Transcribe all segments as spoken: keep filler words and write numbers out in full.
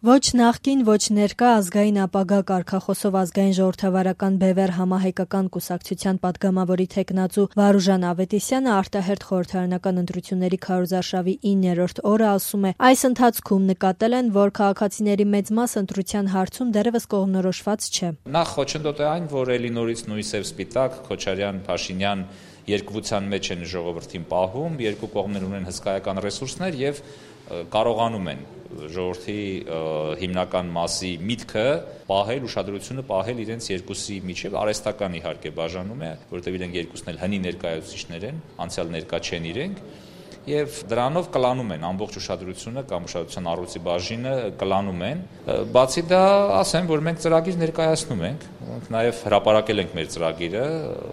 Ոչ նախկին, ոչ ներկա ազգային ապագա կարգախոսով ազգային ժողովրդավարական բևեռ համահայկական կուսակցության պատգամավորի թեկնածու Վարուժան Ավետիսյանը արտահերթ խորհրդարանական ընտրությունների քարոզարշավի իններորդ օրը ասում է, այս ընթացքում նկատել են, որ քաղաքացիների մեծ մասը ընտրության հարցում դեռևս կողմնորոշված չէ։ Նախ խոչընդոտ է այն, որ էլի նորից նույն սև սպիտակ Քոչարյան, Փաշինյան երկվության մեջ են ժողովրդին պահում, երկու կողմներ ունեն հսկայական ռեսուրսներ եւ կարողանում են ժողովրդի հիմնական մասի միտքը պահել, ուշադրությունը պահել իրենց երկուսի միջև, արհեստական իհարկե բաժանում է, որովհետեւ իրենք երկուսն էլ հնի ներկայացուցիչներ են, անցյալ ներկա չեն իրենք, եւ դրանով կլանում են ամբողջ ուշադրությունը կամ ուշադրության առույցի բաժինը կլանում են։ Բացի դա, ասեմ, որ մենք ծրագիր ներկայացնում ենք, նաեւ հրապարակել ենք մեր ծրագիրը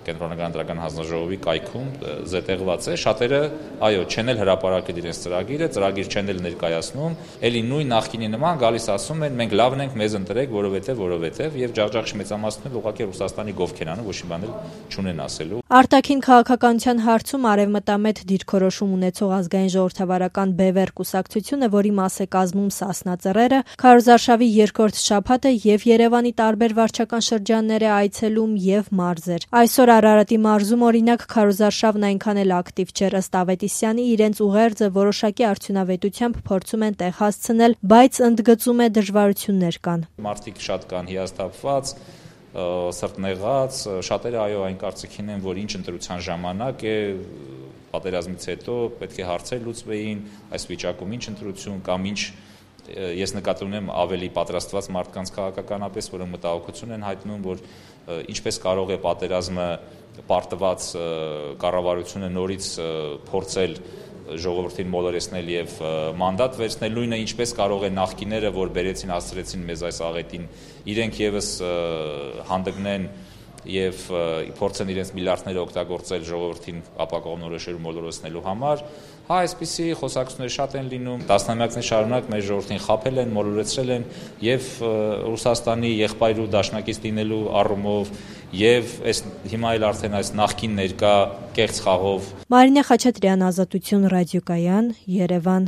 Կենտրոնական ընտրական հանձնաժողովի կայքում զետեղված է, շատերը, այո, չեն էլ հրապարակել իրենց ծրագիրը, ծրագիր չեն էլ ներկայացնում, ելի նույն նախկինի նման գալիս ասում են, մենք լավն ենք, մեզ ընտրեք, որովհետեւ, որովհետեւ եւ ջախջախ մեծամասնությունը ուղղակի Ռուսաստանի գովք են անում, ոչ մի բան էլ չունեն ասելու։ Արտաքին քաղաքականության հարցում արևմտամետ դիրքորոշում ունեցող ազգային ժողովրդավարական բևեռ կուսակցությունը, որի մաս է կազմում Սասնա Ծռերը, քարոզարշավի երկրորդ շաբաթը եւ Երևանի տարբեր վարչական շրջաններ է այցելում եւ մարզեր։ Այսօր Արարատի մարզում օրինակ քարոզարշավն այնքան էլ ակտիվ չէր, ըստ Ավետիսյանի, իրենց ուղերձը որոշակի արդյունավետությամբ փորձում են տեղ հասցնել, բայց ընդգծում է դժվարություններ կան։ Մարդիկ շատ կան հիասթափված, սրտնեղած, շատերը այո այն կարծիքին են, որ ինչ ընտրության ժամանակ է, պատերազմից հետո պետք է հարցեր լուծվեին, այս վիճակում ինչ ընտրություն կամ ինչ, ես նկատի ունեմ ավելի պատրաստված մարդկանց քաղաքականապես, որոնք մտահոգություն են հայտնում, որ ինչպես կարող է պատերազմը պարտված կառավարությունը նորից փորձել ժողովրդին մոլորեցնել եւ մանդատ վերցնել, նույնը ինչպես կարող է նախկիները, որ բերեցին հասցրեցին մեզ այս աղետին, իրենք եւս հանդգնեն եւ փորձեն իրենց միլիարդները օգտագործել ժողովրդին ապակողմնորոշելու մոլորեցնելու համար, հա այսպիսի խոսակցություններ շատ են լինում, տասնամյակներ շարունակ մեր ժողովրդին խաբել են, մոլորեցրել են եւ Ռուսաստանի եղբայր ու դաշնակից լինելու առումով եւ այս հիմա էլ արդեն այս նախկին ներկա կեղծ խաղով։ Մարինե Խաչատրյան, Ազատություն ռադիոկայան, Երևան։